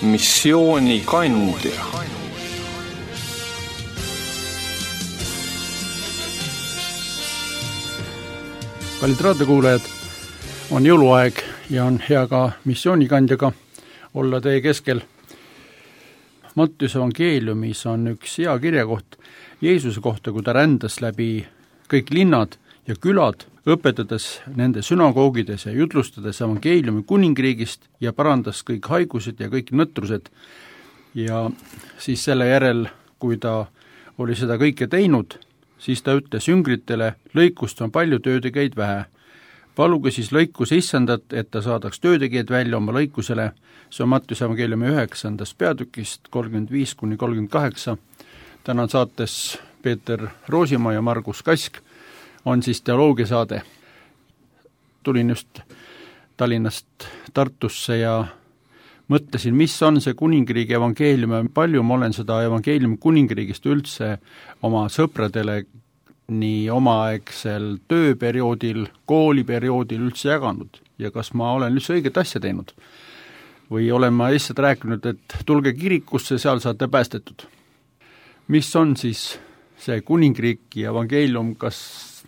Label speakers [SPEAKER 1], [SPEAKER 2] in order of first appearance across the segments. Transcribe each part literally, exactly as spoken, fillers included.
[SPEAKER 1] missioonikandja.
[SPEAKER 2] Kallid raadiokuulajad, on jõuluaeg ja on hea ka missioonikandjaga olla teie keskel. Mattiuse evangeeliumis on üks hea kirjakoht Jeesuse kohta, kui ta rändas läbi kõik linnad ja külad, õpetades nende sünagoogides ja jutlustades evangeeliumi kuningriigist ja parandas kõik haigused ja kõik nõtrused. Ja siis selle järel, kui ta oli seda kõike teinud, siis ta ütles jüngritele, lõikust on palju, töötegijaid vähe. Paluge siis lõikus issandat, et ta saadaks töötegijaid välja oma lõikusele. See on Mattiuse evangeeliumi üheksandast peatükist kolmkümmend viis kuni kolmkümmend kaheksa. Täna saates Peeter Roosimaa ja Margus Kask on siis teoloogiasaade. Tulin just Tallinnast Tartusse ja mõtlesin, mis on see kuningriigi evangeelium ja palju ma olen seda evangeeliumi kuningriigist üldse oma sõpradele nii omaaegsel tööperioodil, kooliperioodil üldse jaganud ja kas ma olen üldse õiget asja teinud. Või olen ma lihtsalt rääkinud, et tulge kirikusse, seal saate päästetud. Mis on siis see kuningriik ja evangeelium, kas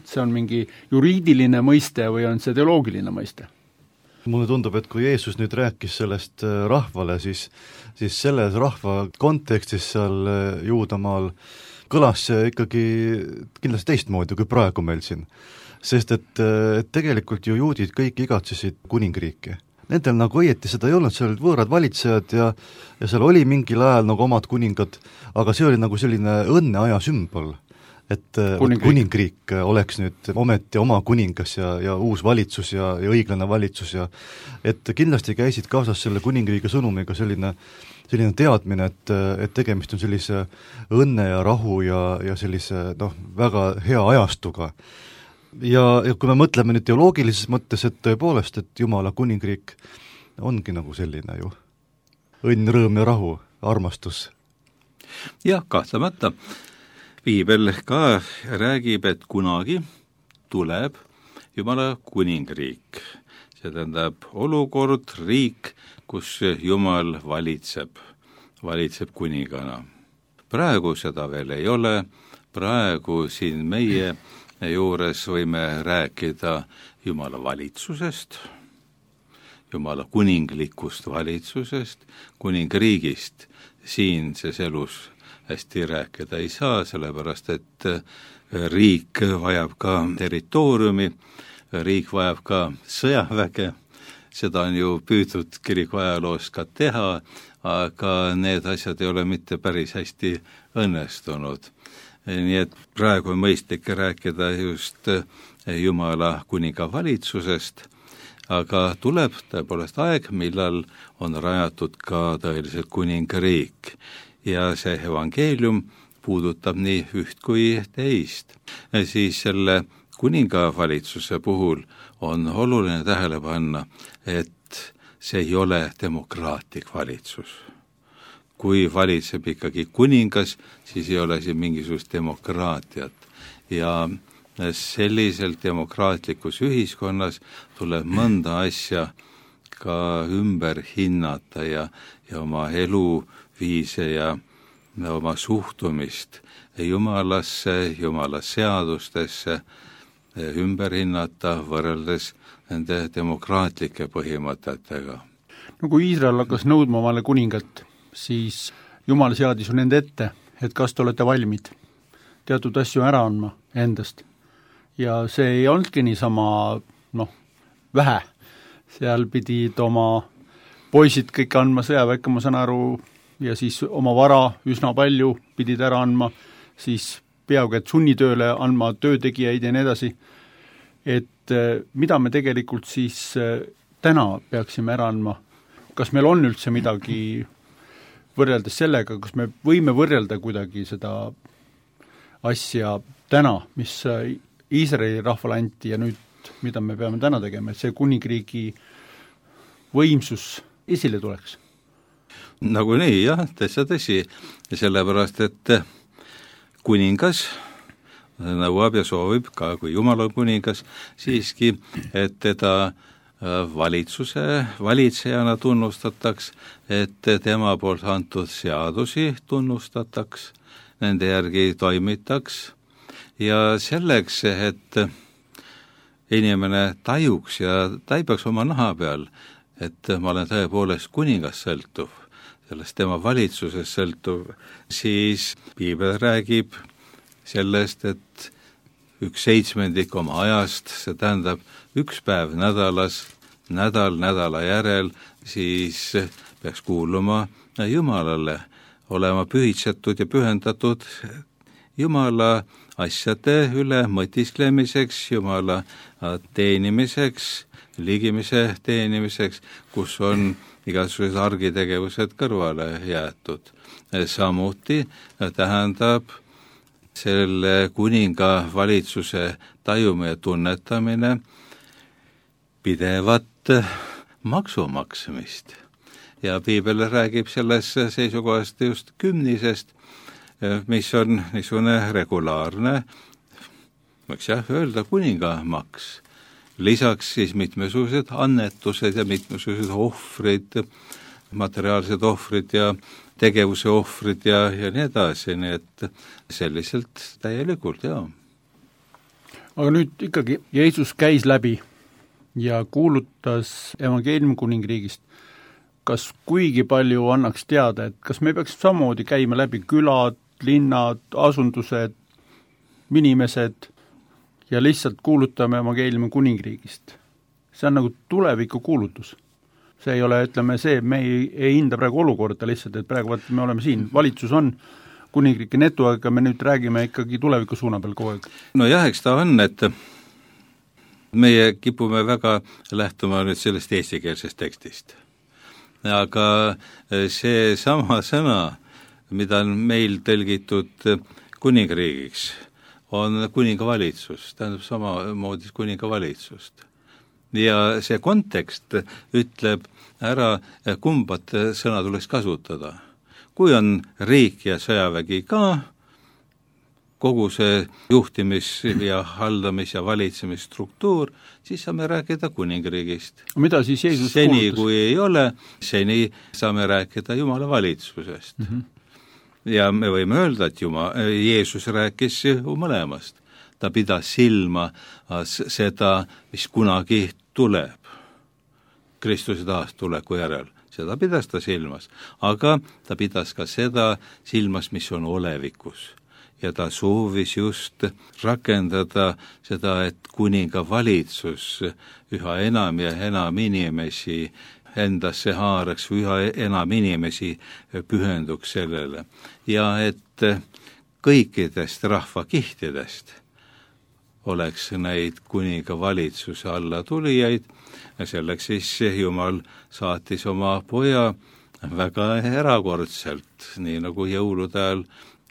[SPEAKER 2] see on mingi juriidiline mõiste või on see teoloogiline mõiste?
[SPEAKER 3] Mulle tundub, et kui Jeesus nüüd rääkis sellest rahvale, siis, siis selles rahva kontekstis seal Juudamaal kõlas see ikkagi kindlasti teistmoodi kui praegu meil siin. Sest et, et tegelikult ju juudid kõik igatsesid kuningriiki. Nendel nagu õieti seda ei olnud, seal olid võõrad valitsejad ja, ja seal oli mingil ajal nagu omad kuningad, aga see oli nagu selline õnneaja sümbol. Et kuningriik. kuningriik oleks nüüd ometi oma kuningas ja, ja uus valitsus ja, ja õiglane valitsus ja et kindlasti käisid kaasas selle kuningriigi sõnumiga selline, selline teadmine, et, et tegemist on sellise õnne ja rahu ja, ja sellise noh, väga hea ajastuga. Ja, ja kui me mõtleme nüüd teoloogilises mõttes, et tõepoolest, et Jumala kuningriik ongi nagu selline ju õnn, rõõm ja rahu, armastus.
[SPEAKER 4] Jah, kahtlemata. Piibel ka räägib, et kunagi tuleb Jumala kuningriik. See tähendab olukord, riik, kus Jumal valitseb, valitseb kuningana. Praegu seda veel ei ole, praegu siin meie juures võime rääkida Jumala valitsusest, Jumala kuninglikust valitsusest, kuningriigist siinses elus hästi rääkida ei saa, sellepärast et riik vajab ka territooriumi, riik vajab ka sõjaväge, seda on ju püütud kiriku ajaloos ka teha, aga need asjad ei ole mitte päris hästi õnnestunud. Nii et praegu on mõistlik rääkida just Jumala kuninga valitsusest, aga tuleb tõepoolest aeg, millal on rajatud ka tõeliselt kuningriik. Ja see evangeelium puudutab nii üht kui teist. Siis selle kuningavalitsuse puhul on oluline tähele panna, et see ei ole demokraatlik valitsus. Kui valitseb ikkagi kuningas, siis ei ole siin mingisugust demokraatiat. Ja selliselt demokraatlikus ühiskonnas tuleb mõnda asja ka ümber hinnata ja, ja oma elu viise ja oma suhtumist Jumalasse, Jumala seadustesse ümber hinnata võrreldes nende demokraatlike põhimõtetega.
[SPEAKER 2] No kui Iisrael hakkas nõudma omale kuningat, siis Jumal seadis ju nende ette, et kas te olete valmid teatud asju ära andma endast. Ja see ei olnudki niisama noh, vähe. Seal pidid oma poisid kõik andma sõjaväkke, ma saan aru, ja siis oma vara üsna palju pidid ära andma, siis peaaegu et sunnitööle andma töötegijaid ja nii edasi. Et mida me tegelikult siis täna peaksime ära andma? Kas meil on üldse midagi võrreldes sellega, kas me võime võrrelda kuidagi seda asja täna, mis Iisraeli rahvale anti ja nüüd, mida me peame täna tegema, et see kuningriigi võimsus esile tuleks?
[SPEAKER 4] Nagu nii, jah, täitsa tõsi, sellepärast, et kuningas nõuab ja soovib ka, kui Jumal on kuningas, siiski, et teda valitsuse valitsejana tunnustataks, et tema poolt antud seadusi tunnustataks, nende järgi toimitaks ja selleks, et inimene tajuks ja taibaks oma naha peal, et ma olen tõepoolest kuningast sõltuv, sellest tema valitsusest sõltuv, siis piibel räägib sellest, et üks seitsmendik oma ajast, see tähendab üks päev nädalas, nädal nädala järel, siis peaks kuuluma Jumalale, olema pühitsetud ja pühendatud Jumala asjade üle mõtisklemiseks, Jumala teenimiseks, ligimise teenimiseks, kus on igasugused argitegevused kõrvale jäetud. Samuti tähendab selle kuninga valitsuse tajumine ja tunnetamine pidevat maksumaksmist. Ja piibel räägib selles seisukohast just kümnisest, mis on niisugune regulaarne, võiks jah öelda, kuningamaks. Lisaks siis mitmesugused annetused ja mitmesugused ohvrid, materiaalsed ohvrid ja tegevuse ohvrid ja, ja nii edasi, nii et selliselt täielikult, jaa.
[SPEAKER 2] Aga nüüd ikkagi Jeesus käis läbi ja kuulutas evangeeliumi kuningriigist. Kas kuigi palju annaks teada, et kas me peaks samamoodi käima läbi külad, linnad, asundused, inimesed ja lihtsalt kuulutame evangeeliumi kuningriigist? See on nagu tuleviku kuulutus. See ei ole, ütleme see, me ei, ei hinda praegu olukorda lihtsalt, et praegu vaat, me oleme siin, valitsus on kuningriiki netu, aga me nüüd räägime ikkagi tuleviku suuna peal kogu aeg.
[SPEAKER 4] No jah, eks ta on, et meie kipume väga lähtuma nüüd sellest eestikeelsest tekstist. Aga see sama sõna, mida on meil tõlgitud kuningriigiks, on kuningavalitsus, tähendab samamoodi kuningavalitsust. Ja see kontekst ütleb ära, kumbat sõna tuleks kasutada. Kui on riik ja sõjavägi ka, kogu see juhtimis- ja haldamis- ja valitsemisstruktuur, siis saame rääkida kuningriigist.
[SPEAKER 2] Mida siis Jeesus
[SPEAKER 4] seni,
[SPEAKER 2] kuulutas?
[SPEAKER 4] Kui ei ole, seni saame rääkida Jumala valitsusest. Mm-hmm. Ja me võime öelda, et Juma, Jeesus rääkis ju mõlemast. Ta pidas silma seda, mis kunagi tuleb Kristuse taastuleku järel. Seda pidas ta silmas, aga ta pidas ka seda silmas, mis on olevikus. Ja ta soovis just rakendada seda, et kuninga valitsus üha enam ja enam inimesi endasse haaraks, üha enam inimesi pühenduks sellele. Ja et kõikidest rahvakihtidest oleks neid kuninga valitsuse alla tulijaid, ja selleks siis Jumal saatis oma poja väga erakordselt, nii nagu jõulude ajal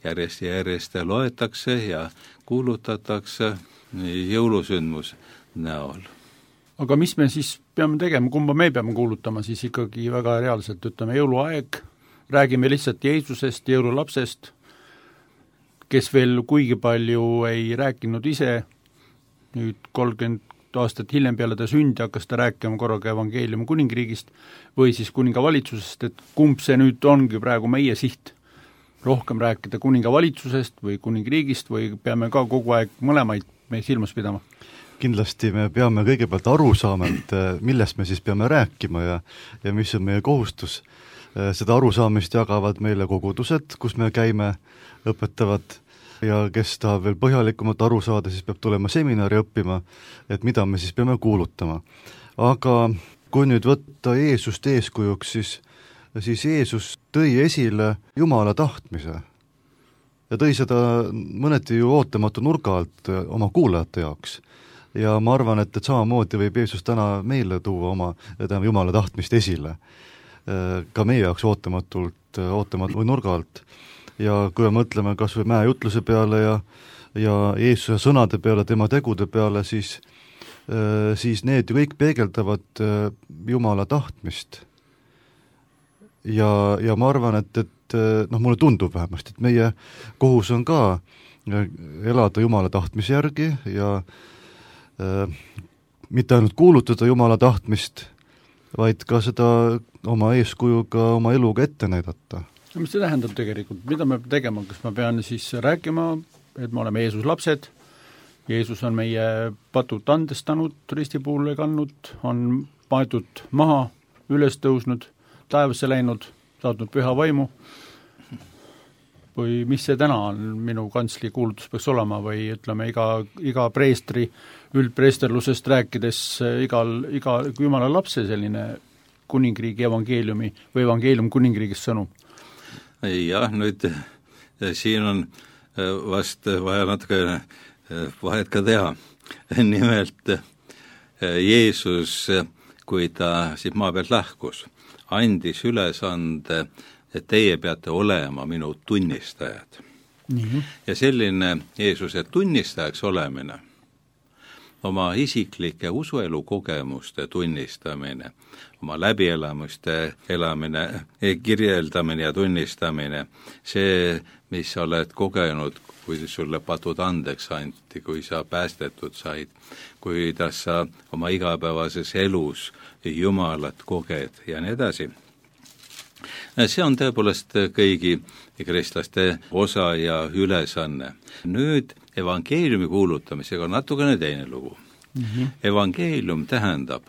[SPEAKER 4] järjest ja järjest loetakse ja kuulutatakse jõulusündmus näol.
[SPEAKER 2] Aga mis me siis peame tegema, kumba me peame kuulutama siis ikkagi väga reaalselt, ütleme jõuluaeg, räägime lihtsalt Jeesusest, jõululapsest, kes veel kuigi palju ei rääkinud ise, nüüd kolmkümmend aastat hiljem peale ta sündi hakkas ta rääkima korraga evangeeliumi kuningriigist või siis kuningavalitsusest, et kumb see nüüd ongi praegu meie siht, rohkem rääkida kuningavalitsusest või kuningriigist või peame ka kogu aeg mõlemaid me silmas pidama?
[SPEAKER 3] Kindlasti me peame kõigepealt aru saama, et millest me siis peame rääkima ja, ja mis on meie kohustus. Seda arusaamist jagavad meile kogudused, kus me käime, õpetavad ja kes tahab veel põhjalikumalt aru saada, siis peab tulema seminari õppima, et mida me siis peame kuulutama. Aga kui nüüd võtta Jeesust eeskujuks, siis, siis Jeesus tõi esile Jumala tahtmise ja tõi seda mõneti ju ootamatu nurga alt oma kuulajate jaoks. Ja ma arvan, et, et samamoodi võib Jeesus täna meile tuua oma täna Jumala tahtmist esile, ka meie jaoks ootamatult, ootamatult nurga alt. Ja kui me mõtleme kas või mäejutluse peale ja, ja Jeesuse sõnade peale, tema tegude peale, siis, siis need ju kõik peegeldavad Jumala tahtmist. Ja, ja ma arvan, et, et noh, mulle tundub vähemasti, et meie kohus on ka elada Jumala tahtmise järgi ja mitte ainult kuulutada Jumala tahtmist, vaid ka seda oma eeskujuga, oma eluga ette näidata.
[SPEAKER 2] Mis see tähendab tegelikult, mida me peame tegema, kas ma pean siis rääkima, et me oleme Jeesus lapsed, Jeesus on meie patud andestanud, ristipuule kandnud, on maetud maha, üles tõusnud, taevasse läinud, saatnud püha vaimu, või mis see täna on, minu kantsli kuulutus peaks olema, või ütleme, iga, iga preestri üldpreesterlusest rääkides igal, iga Jumala lapse selline kuningriigi evangeeliumi või evangeelium kuningriigist sõnum?
[SPEAKER 4] Jah, nüüd siin on vast vaja natuke vahet ka teha. Nimelt Jeesus, kui ta siit maa pealt lahkus, andis ülesande, et teie peate olema minu tunnistajad. Mm-hmm. Ja selline Jeesuse tunnistajaks olemine, oma isiklike usuelu kogemuste tunnistamine, oma läbielamuste elamine, kirjeldamine ja tunnistamine, see, mis sa oled kogenud, kui sulle patud andeks anti, kui sa päästetud said, kuidas sa oma igapäevases elus Jumalat koged ja nii edasi. See on tõepoolest kõigi kristlaste osa ja ülesanne. Nüüd evangeeliumi kuulutamisega on natukene teine lugu. Mm-hmm. Evangeelium tähendab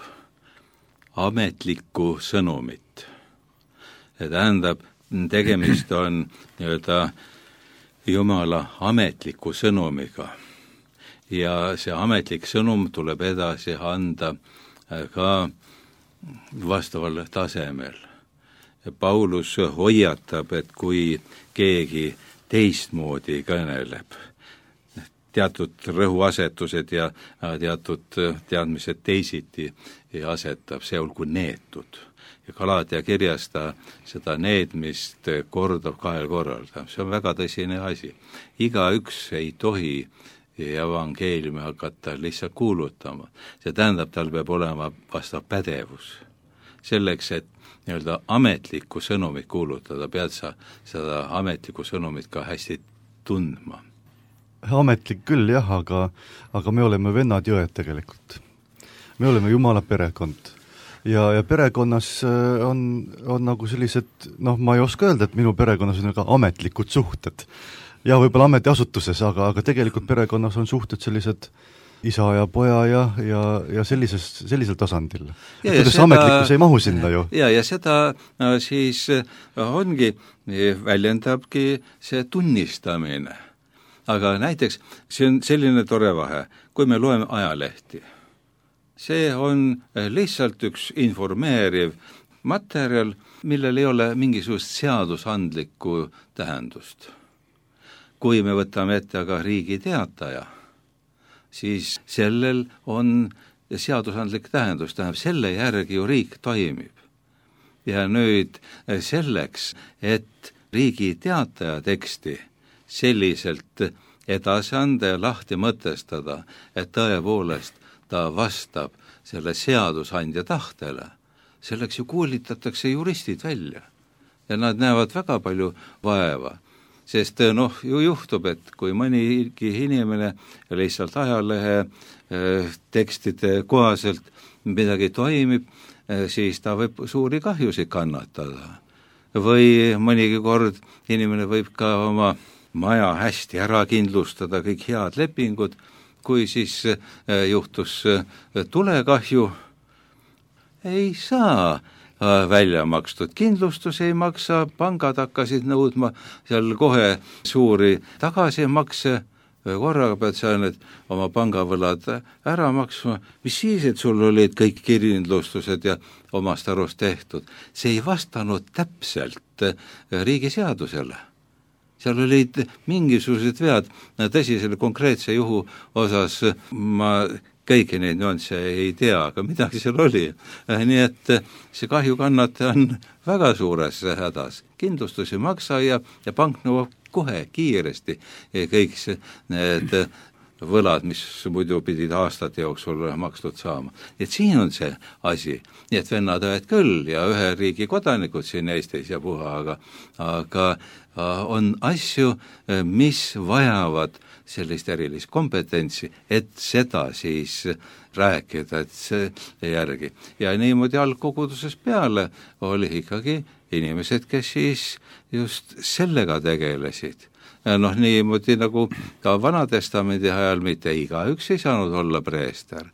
[SPEAKER 4] ametlikku sõnumit. Ja tähendab, tegemist on nii-öelda Jumala ametliku sõnumiga. Ja see ametlik sõnum tuleb edasi anda ka vastaval tasemel. Paulus hoiatab, et kui keegi teistmoodi kõneleb, teatud rõhuasetused ja teatud teadmised teisiti asetab, see olgu neetud. Ja Galatia kirjas ta seda needmist kordab kahel korral. See on väga tõsine asi. Igaüks ei tohi evangeeliumi hakata lihtsalt kuulutama. See tähendab, tal peab olema vastav pädevus. Selleks, et nii-öelda ametlikku sõnumit kuulutada, pead sa seda ametlikku sõnumit ka hästi tundma.
[SPEAKER 3] Ametlik küll jah, aga, aga me oleme vennad jõed tegelikult. Me oleme Jumala perekond. Ja, ja perekonnas on, on nagu sellised, noh, ma ei oska öelda, et minu perekonnas on ka ametlikud suhted. Ja võib-olla ametiasutuses, aga, aga tegelikult perekonnas on suhted sellised isa ja poja ja, ja, ja sellises, sellisel tasandil. Ja, ja seda, ametlikkus ei mahu sinna ju.
[SPEAKER 4] Ja, ja seda siis ongi, väljendabki see tunnistamine. Aga näiteks see on selline tore vahe, kui me loeme ajalehti. See on lihtsalt üks informeeriv materjal, millel ei ole mingisugust seadusandlikku tähendust. Kui me võtame ette aga Riigi Teataja, siis sellel on seadusandlik tähendus, tähendab, selle järgi ju riik toimib. Ja nüüd selleks, et Riigi Teataja teksti selliselt edasi anda ja lahti mõtestada, et tõepoolest ta vastab selle seadusandja tahtele, selleks ju koolitatakse juristid välja. Ja nad näevad väga palju vaeva. Sest noh, ju juhtub, et kui mõnigi inimene lihtsalt ajalehe tekstide kohaselt midagi toimib, siis ta võib suuri kahjusid kannatada. Või mõnigi kord inimene võib ka oma maja hästi ära kindlustada, kõik head lepingud, kui siis juhtus tulekahju, ei saa välja makstud. Kindlustus ei maksa, pangad hakkasid nõudma seal kohe suuri tagasimakse, korraga pead sa need oma pangavõlad ära maksma, mis siis, et sul olid kõik kindlustused ja omast arust tehtud. See ei vastanud täpselt riigiseadusele. Seal olid mingisugused vead, tõsi selle konkreetse juhu osas ma kõiki neid nüansse ei tea, aga midagi seal oli. Nii et see kahjukannataja on väga suures hädas. Kindlustus ei maksa ja, ja pank nõuab kohe kiiresti kõik need võlad, mis muidu pidid aastate jooksul makstud saama. Et siin on see asi, nii et vennad õed küll ja ühe riigi kodanikud siin Eestis ja puha, aga, aga on asju, mis vajavad sellist erilist kompetentsi, et seda siis rääkida, et see järgi. Ja niimoodi algkoguduses peale oli ikkagi inimesed, kes siis just sellega tegelesid. Ja noh, niimoodi nagu ka Vanatestamendi ajal mitte igaüks ei saanud olla preester,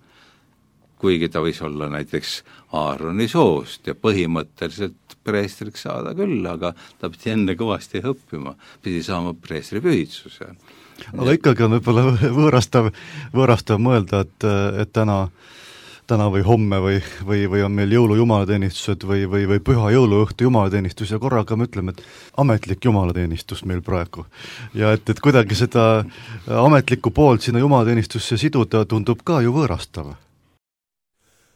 [SPEAKER 4] kuigi ta võis olla näiteks Aaroni soost ja põhimõtteliselt preestriks saada küll, aga ta pidi enne kõvasti õppima, pidi saama preestri pühitsuse.
[SPEAKER 3] Aga ikkagi on võib-olla võõrastav, võõrastav mõelda, et, et täna, täna või homme või, või, või on meil jõulu jumalateenistused või, või, või püha jõuluõhtu jumalateenistus ja korraga me ütleme, et ametlik jumalateenistus meil praegu. Ja et, et kuidagi seda ametlikku poolt sinna jumalateenistusse siduda tundub ka ju võõrastav.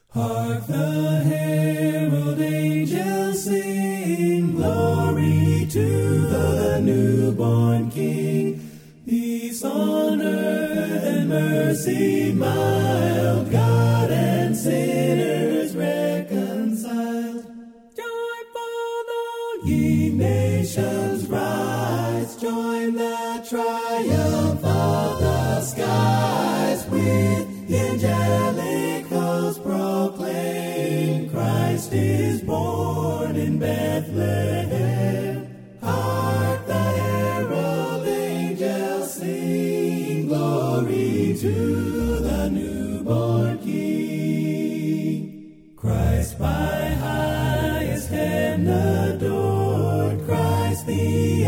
[SPEAKER 1] Hark the herald angels sing, glory to the newborn King. Peace on earth and mercy mild, God and sinners reconciled. Joyful all ye nations rise, join the triumph of the skies. With the angelic host proclaim, Christ is born in Bethlehem. Hark the herald angels sing, glory to the newborn King. Christ by highest heaven adored, Christ the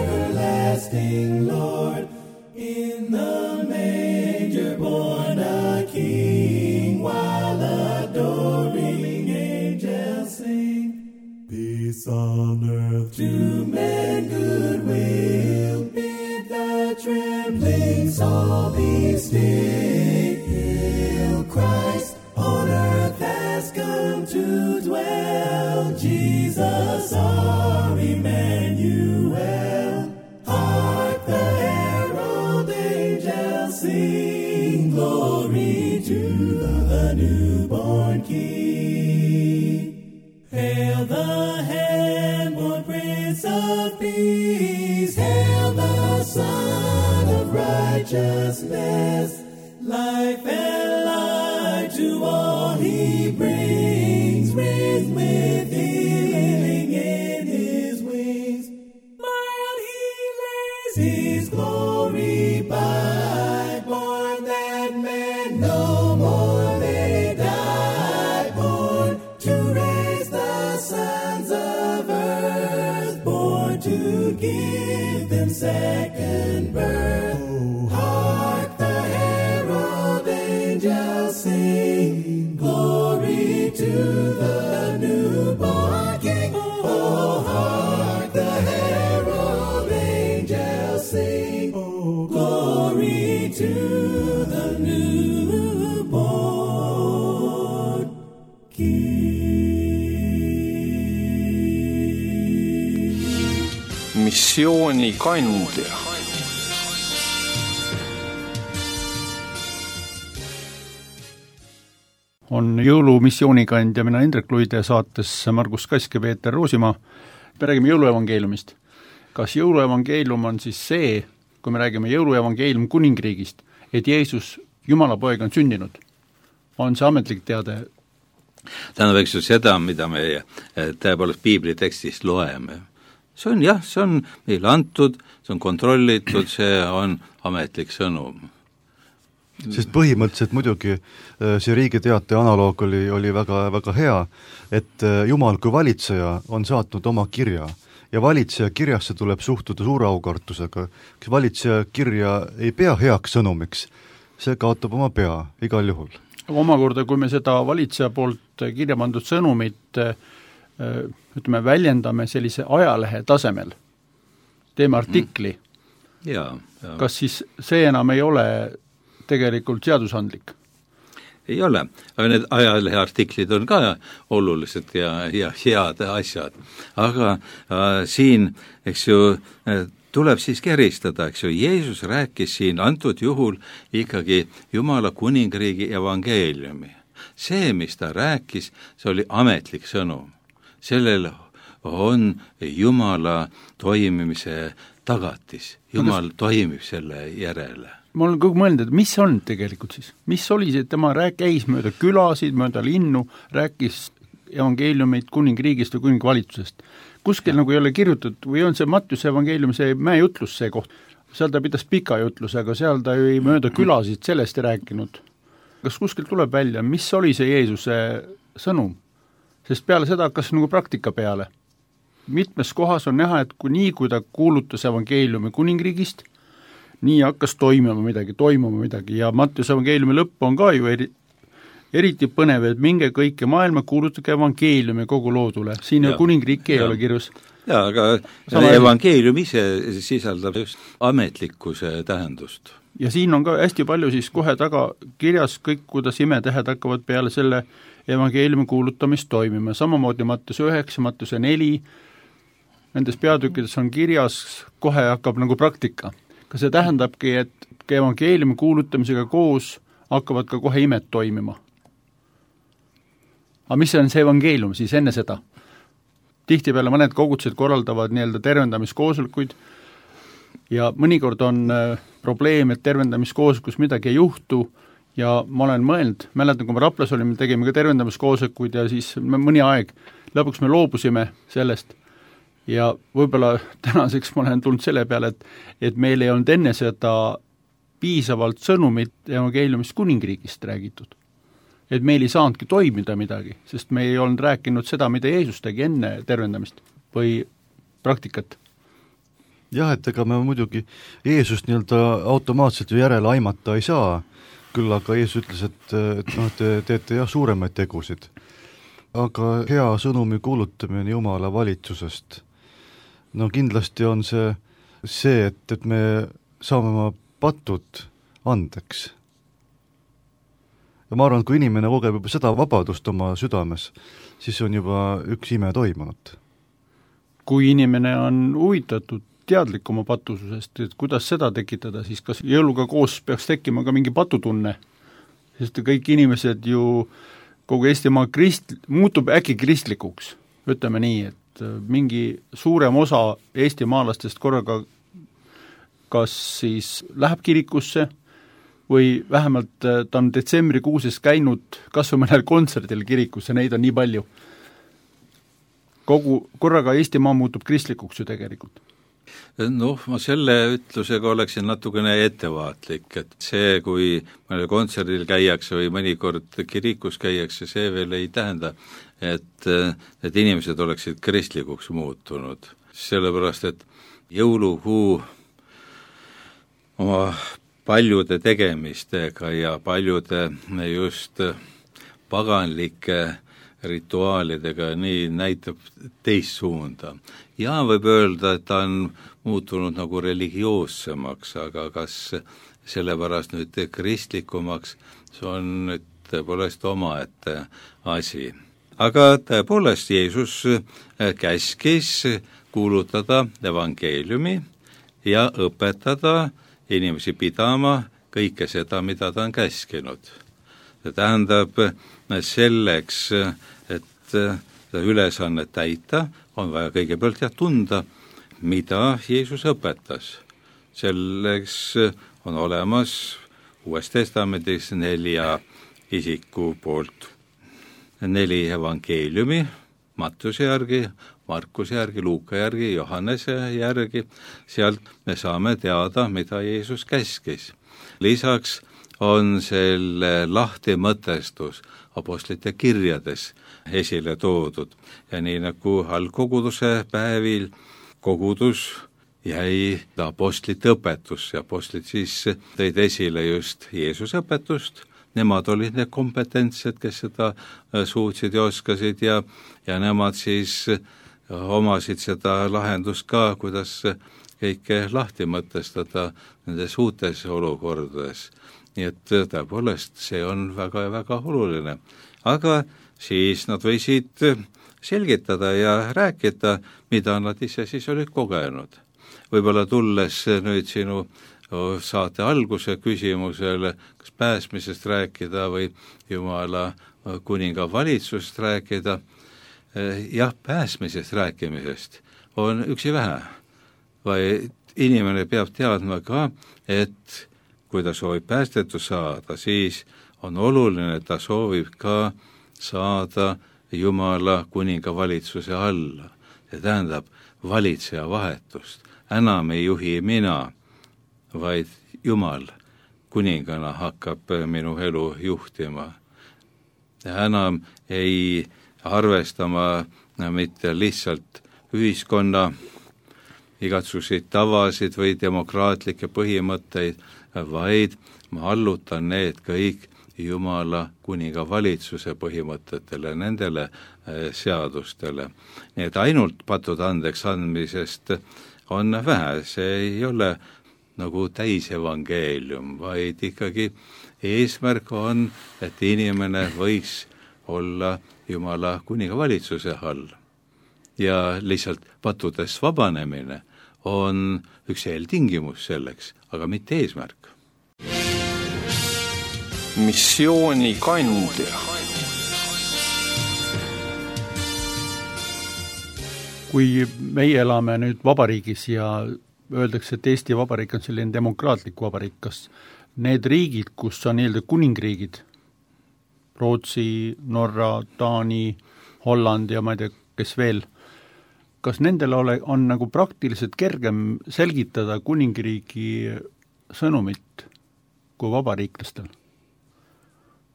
[SPEAKER 1] everlasting Lord. In the manger born a King, while adoring angels sing. Peace on earth to men goodwill, bid the trembling soul be still. Christ on earth has come to dwell, Jesus our Emmanuel. Hark the herald angels sing, glory to the newborn King. Hail the hand-born Prince of Peace, hail the Son of Righteousness. Life and light to all he brings, raised with healing in his wings. Mild he lays his glory by, born that man no more may die, born to raise the sons of earth, born to give them second birth. Oh, hark the herald angels sing, glory to the newborn King. Oh, hark the herald angels sing, oh, glory to the newborn King.
[SPEAKER 5] Missiooni kandja.
[SPEAKER 2] On jõulumissioonikandja, mina Indrek Luide, saates Margus Kask ja Peeter Roosimaa. Me räägime jõuluevangeeliumist. Kas jõuluevangeelium on siis see, kui me räägime jõuluevangeelium kuningriigist, et Jeesus, Jumala poeg, on sündinud? On see ametlik teade?
[SPEAKER 4] Tähendab, eks ju seda, mida me tõepoolest piibli tekstist loeme. See on jah, see on meile antud, see on kontrollitud, see on ametlik sõnum.
[SPEAKER 3] Sest põhimõtteliselt muidugi see riigiteate analoog oli, oli väga, väga hea, et Jumal kui valitseja on saatnud oma kirja ja valitseja kirjasse tuleb suhtuda suure aukartusega. Kes valitseja kirja ei pea heaks sõnumiks, see kaotab oma pea igal juhul.
[SPEAKER 2] Aga omakorda, kui me seda valitseja poolt kirja pandud sõnumit ütleme, väljendame sellise ajalehe tasemel, teeme artikli,
[SPEAKER 4] mm. ja, ja.
[SPEAKER 2] Kas siis see enam ei ole tegelikult seadusandlik?
[SPEAKER 4] Ei ole, aga need ajaleheartiklid on ka olulised ja, ja head asjad. Aga äh, siin, eks ju, tuleb siiski eristada, eks ju, Jeesus rääkis siin antud juhul ikkagi Jumala kuningriigi evangeeliumi. See, mis ta rääkis, see oli ametlik sõnum. Sellel on Jumala toimimise tagatis. Jumal toimib selle järele.
[SPEAKER 2] Ma olen kogu mõelnud, et mis on tegelikult siis? Mis oli see, et tema rääk, käis mööda külasid, mööda linnu, rääkis evangeeliumit kuningriigist või kuningvalitsusest. Kuskil nagu ei ole kirjutatud või on see Mattiuse evangeelium, see mäejutlus see koht. Seal ta pidas pika jutluse, aga seal ta ei mööda külasid sellest ei rääkinud. Kas kuskil tuleb välja, mis oli see Jeesuse sõnum? Sest peale seda hakkas nagu praktika peale. Mitmes kohas on näha, et kui nii, kui ta kuulutas evangeeliumi kuningriigist, nii hakkas toimuma midagi, toimuma midagi ja Mattiuse evangeeliumi lõpp on ka ju eri, eriti põnev, et minge kõike maailma, kuulutage evangeeliumi kogu loodule. Siin ja, kuningriiki ei ja. ole kirjus.
[SPEAKER 4] Jaa, aga Sama evangeelium ise sisaldab just ametlikkuse tähendust.
[SPEAKER 2] Ja siin on ka hästi palju siis kohe taga kirjas kõik, kuidas imetähed hakkavad peale selle evangeeliumi kuulutamist toimima. Samamoodi Mattiuse üheksa, Mattiuse neli, nendes peatükkides on kirjas, kohe hakkab nagu praktika. Ka see tähendabki, et evangeeliumi kuulutamisega koos hakkavad ka kohe imed toimima. Aga mis on see evangeelium siis enne seda? Tihtipeale mõned kogudused korraldavad nii-öelda tervendamiskoosolekuid ja mõnikord on probleem, et tervendamiskoosolekus midagi ei juhtu ja ma olen mõelnud, mäletan, kui me Raplas olime, tegime ka tervendamiskoosolekuid ja siis me mõni aeg, lõpuks me loobusime sellest ja võib-olla tänaseks ma olen tulnud selle peale, et, et meil ei olnud enne seda piisavalt sõnumit evangeeliumist kuningriigist räägitud. Et meil ei saanudki toimida midagi, sest me ei olnud rääkinud seda, mida Jeesus tegi enne tervendamist või praktikat.
[SPEAKER 3] Jah, et ega me muidugi Jeesust nii-öelda automaatselt ju järele aimata ei saa, küll aga Jeesus ütles, et, et noh, te teete jah suuremaid tegusid. Aga hea sõnumi kuulutamine Jumala valitsusest, no kindlasti on see, see et, et me saame oma patud andeks. Ja ma arvan, kui inimene kogeb juba seda vabadust oma südames, siis on juba üks ime toimunud.
[SPEAKER 2] Kui inimene on huvitatud teadlik oma patususest, et kuidas seda tekitada, siis kas jõuluga koos peaks tekkima ka mingi patutunne, sest kõik inimesed ju kogu Eestimaa krist, muutub äkki kristlikuks, ütleme nii, et mingi suurem osa eestimaalastest korraga kas siis läheb kirikusse või vähemalt ta on detsembrikuuses käinud kas või mõnel kontserdil kirikusse, neid on nii palju. Kogu korraga Eestimaa muutub kristlikuks ju tegelikult.
[SPEAKER 4] Noh, ma selle ütlusega oleksin natukene ettevaatlik, et see, kui mõnel kontserdil käiakse või mõnikord kirikus käiakse, see veel ei tähenda, et, et inimesed oleksid kristlikuks muutunud. Sellepärast, et jõulukuu oma paljude tegemistega ja paljude just paganlike rituaalidega nii näitab teist suunda. Ja võib öelda, et ta on muutunud nagu religioossemaks, aga kas sellepärast nüüd kristlikumaks, see on nüüd tõepoolest omaette asi. Aga tõepoolest Jeesus käskis kuulutada evangeeliumi ja õpetada inimesi pidama kõike seda, mida ta on käskinud. See tähendab selleks, et ülesannet täita, on vaja kõigepealt ja tunda, mida Jeesus õpetas. Selleks on olemas Uues Testamendis nelja isiku poolt neli evangeeliumi, Mattiuse järgi, Markuse järgi, Luuka järgi, Johannese järgi, sealt me saame teada, mida Jeesus käskis. Lisaks on selle lahti mõtestus apostlite kirjades esile toodud ja nii nagu algkoguduse päevil kogudus jäi apostlite õpetus ja apostlid siis tõid esile just Jeesuse õpetust. Nemad olid need kompetentsed, kes seda suutsid ja oskasid ja, ja nemad siis omasid seda lahendust ka, kuidas kõike lahti mõtestada nendes uutes olukordades. Nii et tõepoolest see on väga ja väga oluline. Aga siis nad võisid selgitada ja rääkida, mida nad ise siis olid kogenud. võib-olla tulles nüüd sinu saate alguse küsimusele, kas pääsmisest rääkida või Jumala kuninga valitsusest rääkida, jah, pääsmisest rääkimisest on üksi vähe, vaid inimene peab teadma ka, et kui ta soovib päästetud saada, siis on oluline, et ta soovib ka saada Jumala kuninga valitsuse alla. See tähendab valitseja vahetust. Enam ei juhi mina, vaid Jumal kuningana hakkab minu elu juhtima. Ja enam ei arvestama mitte lihtsalt ühiskonna igatsuseid tavasid või demokraatlikke põhimõtteid, vaid ma allutan need kõik Jumala kuninga valitsuse põhimõtetele, nendele seadustele. Nii et ainult patud andeks andmisest on vähe, see ei ole nagu täisevangeelium, vaid ikkagi eesmärk on, et inimene võiks olla Jumala kuninga valitsuse all. Ja lihtsalt patudest vabanemine on üks eeltingimus selleks, aga mitte eesmärk.
[SPEAKER 5] Missiooni kandja.
[SPEAKER 2] Kui meie elame nüüd vabariigis ja öeldakse, et Eesti Vabariik on selline demokraatlik vabariik, kas need riigid, kus on nii-öelda kuningriigid, Rootsi, Norra, Taani, Holland ja ma ei tea, kes veel, kas nendel ole, on nagu praktiliselt kergem selgitada kuningriigi sõnumit kui vabariiklastel?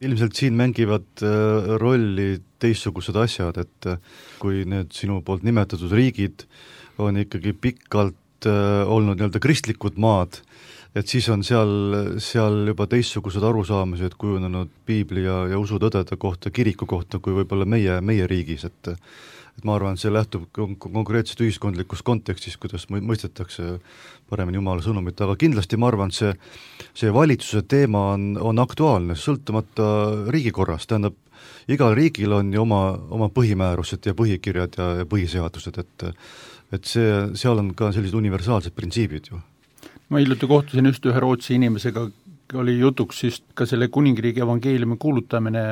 [SPEAKER 3] Ilmselt siin mängivad rolli teistsugused asjad, et kui need sinu poolt nimetatud riigid on ikkagi pikalt olnud nii-öelda kristlikud maad, et siis on seal, seal juba teistsugused arusaamised kujunenud piibli ja, ja usutõdede kohta, kiriku kohta, kui võib-olla meie, meie riigis, et et ma arvan, see lähtub konkreetselt ühiskondlikus kontekstis, kuidas mõistetakse paremini Jumala sõnumit, aga kindlasti ma arvan, see, see valitsuse teema on, on aktuaalne, sõltumata riigikorrast, tähendab, igal riigil on ju oma, oma põhimäärused ja põhikirjad ja, ja põhiseadused, et et see, seal on ka sellised universaalsed printsiibid ju.
[SPEAKER 2] Ma hiljuti kohtusin just ühe Rootsi inimesega, oli jutuks just ka selle kuningriigi evangeeliumi kuulutamine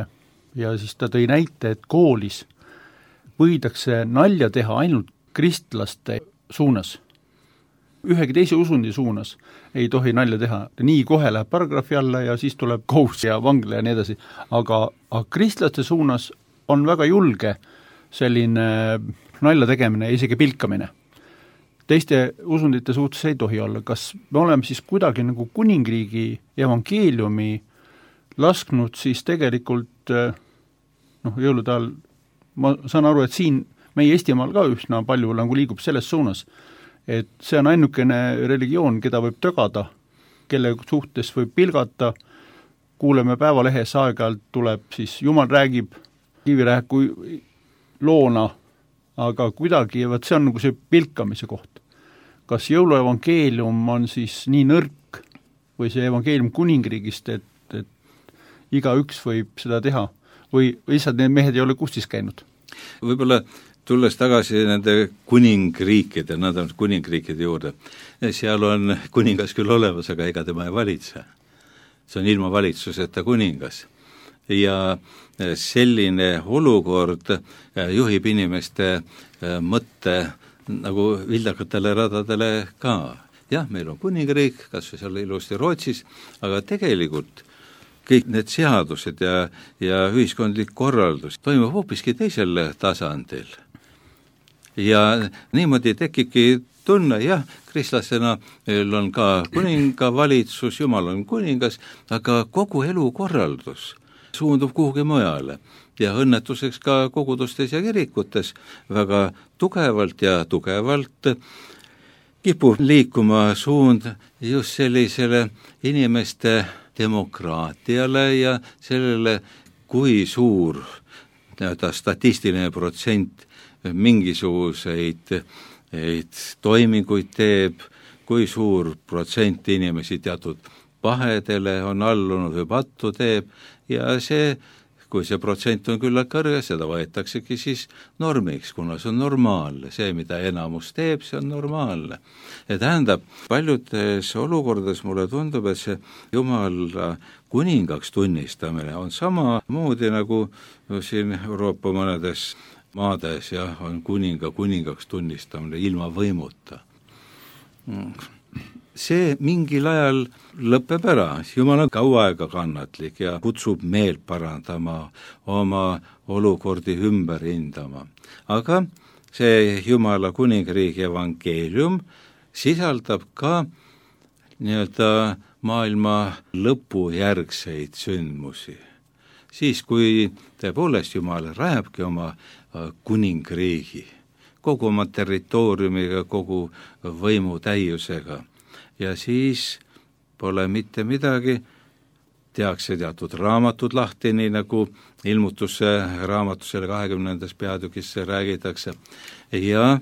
[SPEAKER 2] ja siis ta tõi näite, et koolis võidakse nalja teha ainult kristlaste suunas. Ühegi teise usundi suunas ei tohi nalja teha. Nii kohe läheb paragrahvi alla ja siis tuleb kohus ja vangla ja nii edasi. Aga, aga kristlaste suunas on väga julge selline nalja tegemine ja isegi pilkamine. Teiste usundite suhtes ei tohi olla. Kas me oleme siis kuidagi nagu kuningriigi evangeeliumi lasknud siis tegelikult noh, jõulude ajal ma saan aru, et siin meie Eestimaal ka üsna palju nagu liigub selles suunas, et see on ainukene religioon, keda võib tögada, kelle suhtes võib pilgata, kuuleme päevalehes aeg-ajalt tuleb, siis Jumal räägib kivirääku loona, aga kuidagi, võt see on nagu see pilkamise koht. Kas jõuluevangeelium on siis nii nõrk või see evangeelium kuningriigist, et, et iga üks võib seda teha? või lihtsalt need mehed ei ole kustis käinud?
[SPEAKER 4] Võib-olla tulles tagasi nende kuningriikide, nad on kuningriikide juurde, seal on kuningas küll olemas, aga ega tema ei valitse. See on ilma valitsuseta kuningas. Ja selline olukord juhib inimeste mõtte nagu vildakatele radadele ka. Jah, meil on kuningriik, kas või seal ilusti Rootsis, aga tegelikult kõik need seadused ja, ja ühiskondlik korraldus toimub hoopiski teisel tasandil. Ja niimoodi tekibki tunne, jah, kristlasena meil on ka kuninga valitsus, Jumal on kuningas, aga kogu elukorraldus suundub kuhugi mujale. Ja õnnetuseks ka kogudustes ja kirikutes väga tugevalt ja tugevalt kipub liikuma suund just sellisele inimeste demokraatiale ja sellele, kui suur statistiline protsent mingisuguseid toiminguid teeb, kui suur protsent inimesi teatud pahedele on allunud või pattu teeb ja see kui see protsent on küllalt kõrge, seda võetaksegi siis normiks, kuna see on normaalne, see, mida enamus teeb, see on normaalne. Ja tähendab, paljudes olukordades mulle tundub, et see Jumala kuningaks tunnistamine on samamoodi nagu siin Euroopa mõnedes maades ja on kuninga kuningaks tunnistamine ilma võimuta. See mingil ajal lõpeb ära, Jumal on kaua aega kannatlik ja kutsub meelt parandama, oma olukordi ümber hindama. Aga see Jumala kuningriigi evangeelium sisaldab ka nii-öelda maailma lõpu järgseid sündmusi. Siis, kui tõepoolest Jumal rajabki oma kuningriigi, kogu oma territooriumiga, kogu võimu täiusega, ja siis pole mitte midagi, tehakse teatud raamatud lahti, nii nagu ilmutuse raamatusele kahekümnendas peatükisse räägitakse, ja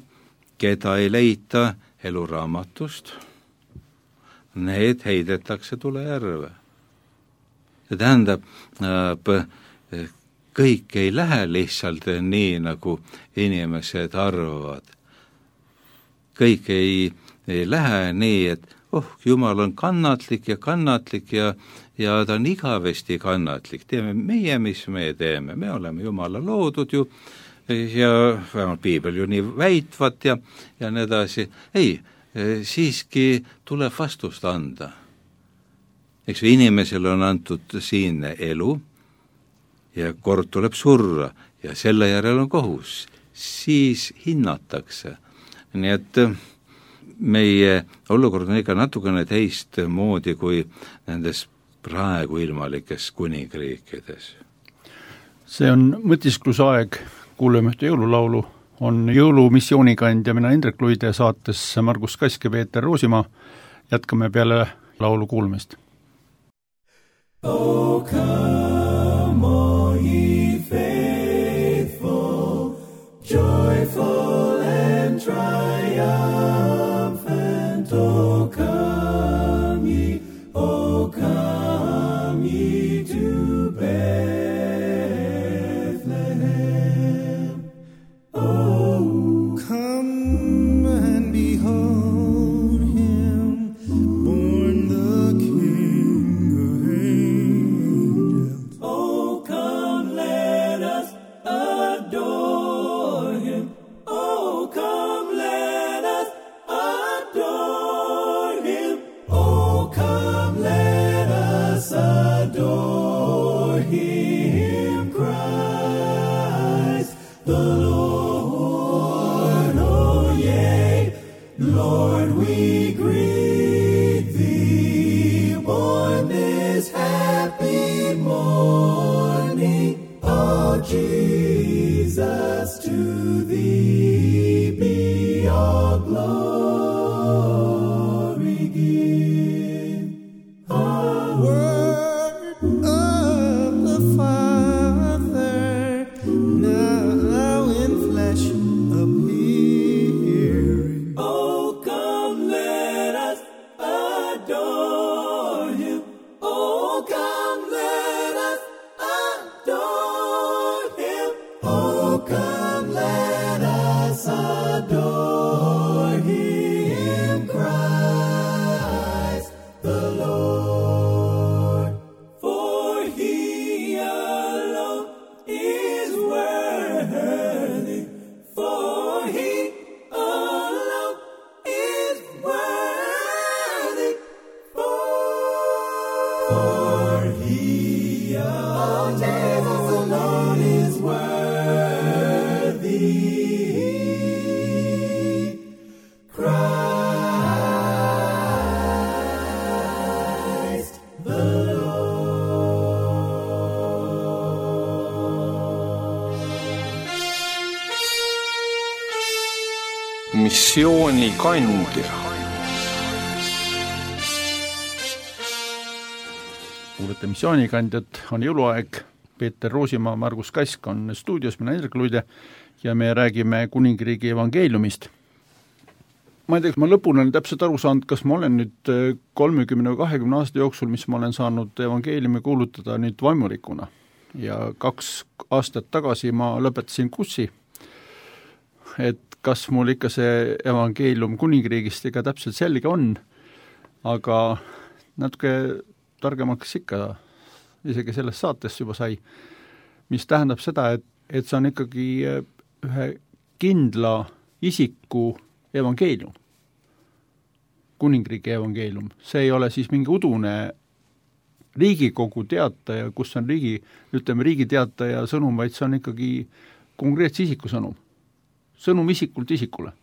[SPEAKER 4] keda ei leita eluraamatust, need heidetakse tulejärve. See tähendab, kõik ei lähe lihtsalt nii, nagu inimesed arvavad. Kõik ei, ei lähe nii, et oh, Jumal on kannatlik ja kannatlik ja, ja ta on igavesti kannatlik. Teeme meie, mis me teeme. Me oleme Jumala loodud ju ja vähemalt piibel ju nii väitvat ja, ja nii edasi. Ei, siiski tuleb vastust anda. Eks inimesele on antud siinne elu ja kord tuleb surra ja selle järel on kohus. Siis hinnatakse. Nii et meie olukord on ikka natukene teist moodi kui nendes praegu ilmalikes kuningriikides.
[SPEAKER 2] See on mõtisklusaeg, kuuleme ühte jõululaulu, on jõulumissioonikandja, mina Indrek Luide saates Margus Kask ja Peeter Roosimaa. Jätkame peale laulu kuulmist.
[SPEAKER 1] Oh, come, all ye faithful, joyful and triumphant. Oh, come ye, oh, come ye to Bethlehem. Oh,
[SPEAKER 6] come and behold him, born the King of angels.
[SPEAKER 1] oh, come, let us adore him. Oh, come, let us adore him. Oh, come, let us adore him, Christ the Lord. Oh, yea, Lord, we greet thee, born this happy morning. Oh, Jesus, to thee be all glory give. Oh,
[SPEAKER 6] Word of the Father, now in flesh appearing.
[SPEAKER 1] oh, come, let us adore him. Oh, come, let us adore him. Oh, come, let us adore him, Christ the Lord. For he alone is worthy. For he alone is worthy. For he alone is worthy. Christ the Lord.
[SPEAKER 5] missioonikandja.
[SPEAKER 2] Kuulete missioonikandjat, on jõuluaeg, Peeter Roosimaa, Margus Kask on stuudios, mina Indrek Luide ja me räägime kuningriigi evangeeliumist. Ma ei tea, ma lõpuni olen täpselt aru saanud, kas ma olen nüüd kolmekümne või kahekümne aasta jooksul, mis ma olen saanud evangeeliumi kuulutada nüüd vaimulikuna ja kaks aastat tagasi ma lõpetasin kussi, et kas mul ikka see evangeelium kuningriigist ikka täpselt selge on, aga natuke targemaks ikka isegi sellest saatest juba sai, mis tähendab seda, et, et see on ikkagi ühe kindla isiku evangeelium, kuningriigi evangeelium. See ei ole siis mingi udune Riigikogu teataja, kus on riigi, ütleme riigi teataja sõnum, vaid see on ikkagi konkreetse isiku sõnum. Sõnum isikult isikule.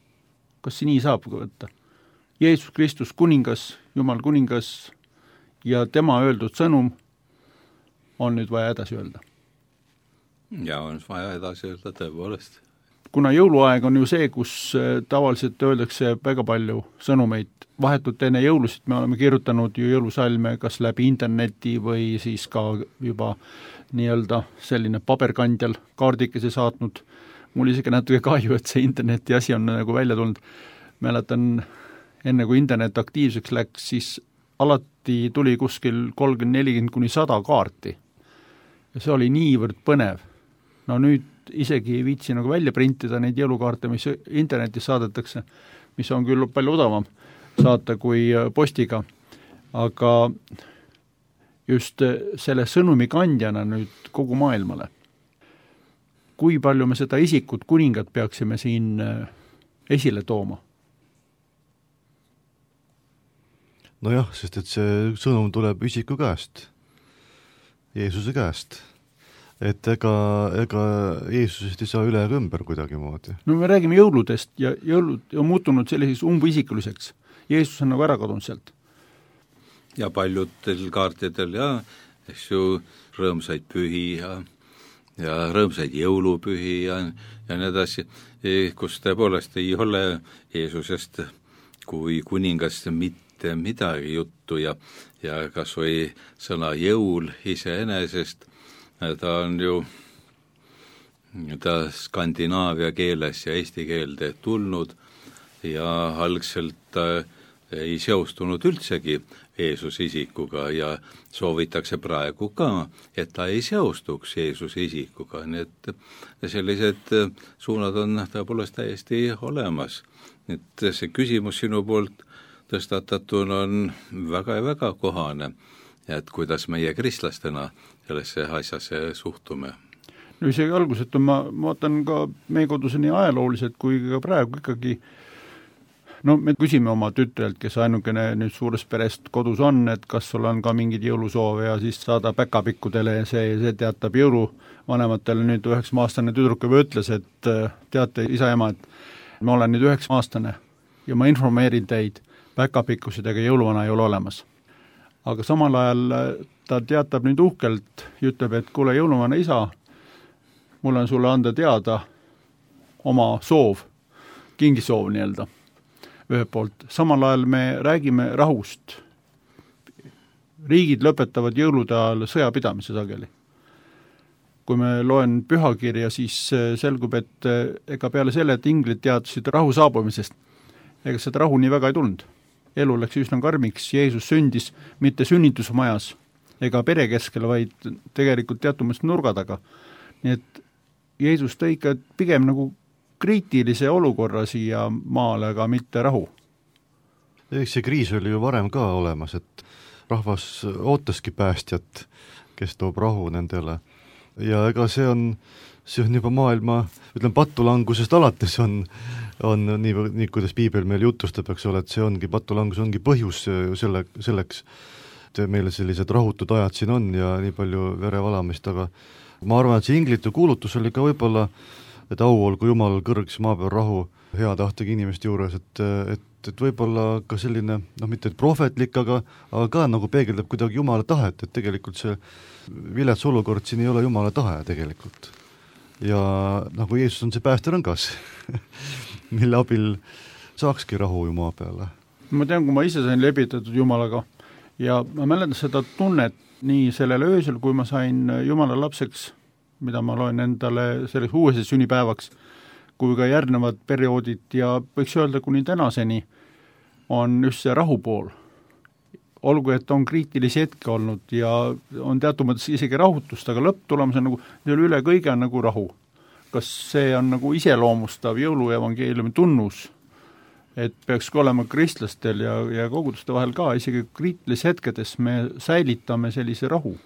[SPEAKER 2] Kas see nii saab võtta? Jeesus Kristus kuningas, Jumal kuningas ja tema öeldud sõnum on nüüd vaja edasi öelda.
[SPEAKER 4] Ja on vaja edasi öelda tõepoolest.
[SPEAKER 2] Kuna jõuluaeg on ju see, kus tavaliselt öeldakse väga palju sõnumeid, vahetult enne jõulusid me oleme kirjutanud ju jõulusalme kas läbi interneti või siis ka juba nii-öelda selline paberkandjal kaardikese saatnud. Mul isegi natuke kahju, et see interneti asi on nagu välja tulnud. Mäletan, enne kui internet aktiivseks läks, siis alati tuli kuskil kolmkümmend nelikümmend kuni sada kaarti. Ja see oli niivõrd põnev. No nüüd isegi ei viitsi nagu välja printida neid jõulukaarte, mis internetis saadetakse, mis on küll palju odavam saata kui postiga, aga just selle sõnumi kandjana nüüd kogu maailmale. Kui palju me seda isikut kuningat peaksime siin esile tooma?
[SPEAKER 3] Nojah, sest et see sõnum tuleb isiku käest, Jeesuse käest. Et ega, ega Jeesusest ei saa üle ega ümber kuidagi moodi.
[SPEAKER 2] No me räägime jõuludest ja jõulud on muutunud selliseks umbisikuliseks. Jeesus on nagu ära kadunud sealt.
[SPEAKER 4] Ja paljudel kaartidel ja eks ju rõõmsaid pühi ja, ja rõõmsaid jõulupühi ja, ja nii edasi, kus tõepoolest ei ole Jeesusest kui kuningast mitte midagi juttu ja, ja kas või sõna jõul iseenesest, ta on ju ta skandinaavia keeles ja eesti keelde tulnud ja algselt ta ei seostunud üldsegi Jeesuse isikuga ja soovitakse praegu ka, et ta ei seostuks Jeesuse isikuga, nii et sellised suunad on tõepoolest täiesti olemas. Et see küsimus sinu poolt tõstatatuna on väga ja väga kohane, et kuidas meie kristlastena sellesse asjasse suhtume.
[SPEAKER 2] No isegi alguselt on, ma vaatan ka meie kodus nii ajalooliselt kui ka praegu ikkagi, no me küsime oma tütrelt, kes ainukene nüüd suurest perest kodus on, et kas sul on ka mingid jõulusoove ja siis saada päkapikkudele ja see, see teatab jõuluvanematele nüüd üheksa aastane tüdruk juba ütles, et teate isa ema, et ma olen nüüd üheksa aastane ja ma informeerin teid, päkapikkusidega jõuluvana ei ole olemas. Aga samal ajal ta teatab nüüd uhkelt, ütleb, et kuule jõuluvana isa, mul on sulle anda teada oma soov, kingisoov nii-öelda ühelt poolt. Samal ajal me räägime rahust. Riigid lõpetavad jõulude ajal sõjapidamise sageli. Kui me loen pühakirja, siis selgub, et ega peale selle, et inglid teadsid rahu saabumisest, ega seda rahu nii väga ei tulnud. Elu läks üsna karmiks, Jeesus sündis mitte sünnitusmajas ega pere keskel, vaid tegelikult teatumast nurga taga. Nii et Jeesus tõi ikka pigem nagu kriitilise olukorra siia maale, aga mitte rahu.
[SPEAKER 3] Eks see kriis oli ju varem ka olemas, et rahvas ootaski päästjat, kes toob rahu nendele. Ja ega see on, see on juba maailma, ütlen patulangusest alates on, on nii, nii, kuidas piibel meil jutustab, eks ole, et see ongi, patulangus ongi põhjus selle, selleks, et meile sellised rahutud ajad siin on ja nii palju verevalamist, aga ma arvan, et see inglitu kuulutus oli ka võib-olla, et au olgu Jumal kõrgis maa peal rahu hea tahtega inimeste juures, et, et, et võib-olla ka selline, noh mitte prohvetlik, aga, aga ka nagu peegeldab kuidagi Jumala tahet, et tegelikult see vilets olukord siin ei ole Jumala tahe tegelikult. Ja nagu Jeesus on see päästerõngas, mille abil saakski rahu ju maa peale. Ma
[SPEAKER 2] tean, kui ma ise sain lebitatud Jumalaga ja ma mäletan seda tunnet nii sellel öösel, kui ma sain Jumala lapseks, mida ma loen endale selleks uuese sünnipäevaks, kui ka järgnevad perioodid ja võiks öelda kuni tänaseni on just see rahu pool. olgu, et on kriitilisi hetke olnud ja on teatud mõttes isegi rahutust, aga lõpptulemus on nagu, üle kõige on nagu rahu. Kas see on nagu iseloomustav jõuluevangeeliumi tunnus, et peaks olema kristlastel ja, ja koguduste vahel ka, isegi kriitilis hetkedes me säilitame sellise rahu,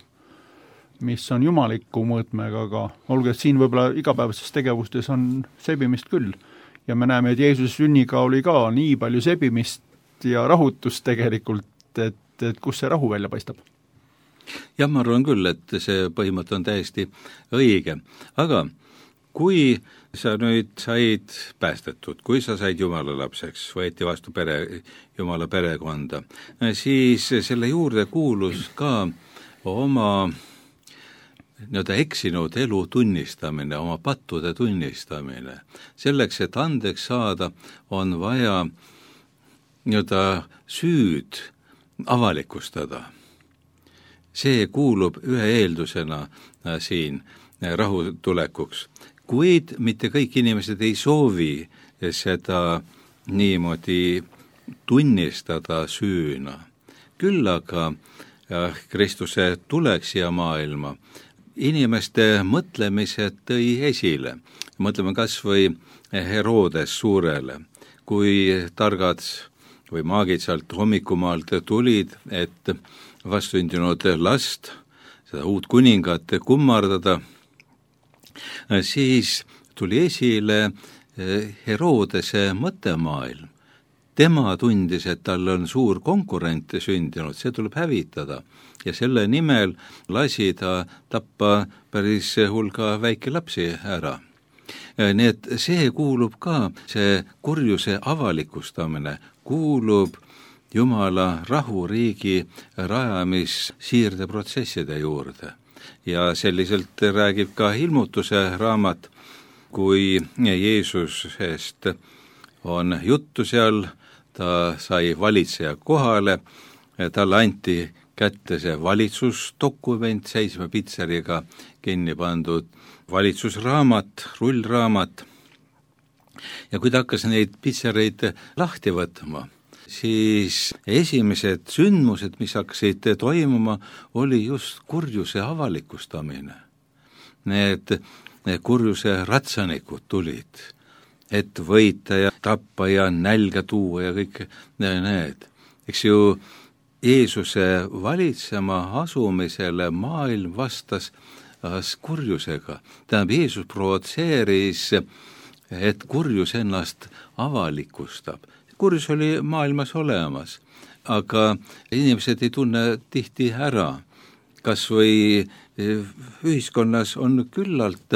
[SPEAKER 2] mis on jumaliku mõõtmega, aga olgu, et siin võib-olla igapäevases tegevustes on sebimist küll. Ja me näeme, et Jeesuse sünniga oli ka nii palju sebimist ja rahutust tegelikult, et, et kus see rahu välja paistab?
[SPEAKER 4] Jah, ma arvan küll, et see põhimõte on täiesti õige, aga kui sa nüüd said päästetud, kui sa said Jumala lapseks, võeti vastu pere, Jumala perekonda, siis selle juurde kuulus ka oma nii-öelda eksinud elu tunnistamine, oma pattude tunnistamine. Selleks, et andeks saada, on vaja nii-öelda süüd avalikustada. See kuulub ühe eeldusena siin rahutulekuks. Kuid mitte kõik inimesed ei soovi seda niimoodi tunnistada süüna. Küll aga Kristuse tuleks siia maailma inimeste mõtlemised tõi esile. Mõtleme kas või Herodes suurele, kui targad või maagid sealt hommikumaalt tulid, et vastsündinud last, seda uut kuningat kummardada, siis tuli esile Herodese mõttemaailm. Tema tundis, et tal on suur konkurent sündinud, see tuleb hävitada ja selle nimel lasi ta tappa päris hulga väikelapsi ära. Nii et see kuulub ka, see kurjuse avalikustamine kuulub Jumala rahuriigi rajamissiirdeprotsesside juurde. Ja selliselt räägib ka ilmutuse raamat, kui Jeesusest on juttu seal, ta sai valitseja kohale, talle anti kätte see valitsusdokument, seitsme pitseriga kinni pandud valitsusraamat, rullraamat. Ja kui ta hakkas neid pitsereid lahti võtma, siis esimesed sündmused, mis hakkasid toimuma, oli just kurjuse avalikustamine. Need, need kurjuse ratsanikud tulid, et võita ja tappa ja nälga tuua ja kõik need. Eks ju, Jeesuse valitsema asumisele maailm vastas kurjusega. Tähendab, Jeesus provotseeris, et kurjus ennast avalikustab. Kurjus oli maailmas olemas, aga inimesed ei tunne tihti ära. Kas või ühiskonnas on küllalt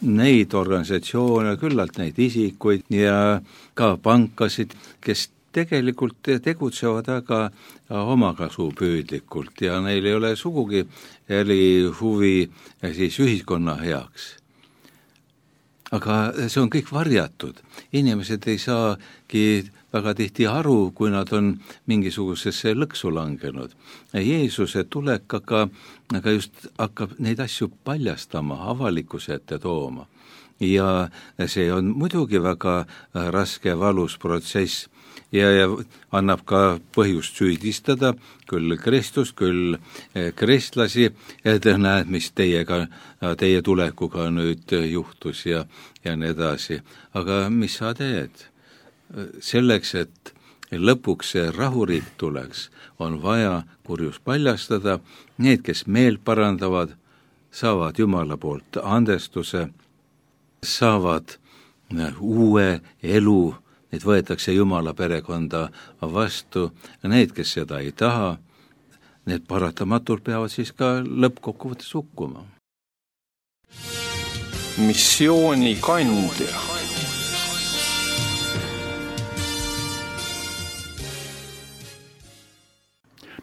[SPEAKER 4] neid organisatsioone, küllalt neid isikuid ja ka pankasid, kes tegelikult tegutsevad väga omakasupüüdlikult ja neil ei ole sugugi eri huvi siis ühiskonna heaks. Aga see on kõik varjatud. Inimesed ei saagi väga tihti aru, kui nad on mingisugusesse lõksu langenud. Jeesuse tulek aga, aga just hakkab neid asju paljastama, avalikkuse ette tooma. Ja see on muidugi väga raske valus protsess ja, ja annab ka põhjust süüdistada küll Kristust, küll kristlasi, et näed, mis teiega, teie tulekuga nüüd juhtus ja, ja nii edasi. Aga mis sa teed? Selleks, et lõpuks see rahuriik tuleks, on vaja kurjus paljastada. Need, kes meelt parandavad, saavad Jumala poolt andestuse, saavad uue elu, neid võetakse Jumala perekonda vastu. Need, kes seda ei taha, need paratamatult peavad siis ka lõppkokkuvõttes hukkuma.
[SPEAKER 5] Missiooni kandja.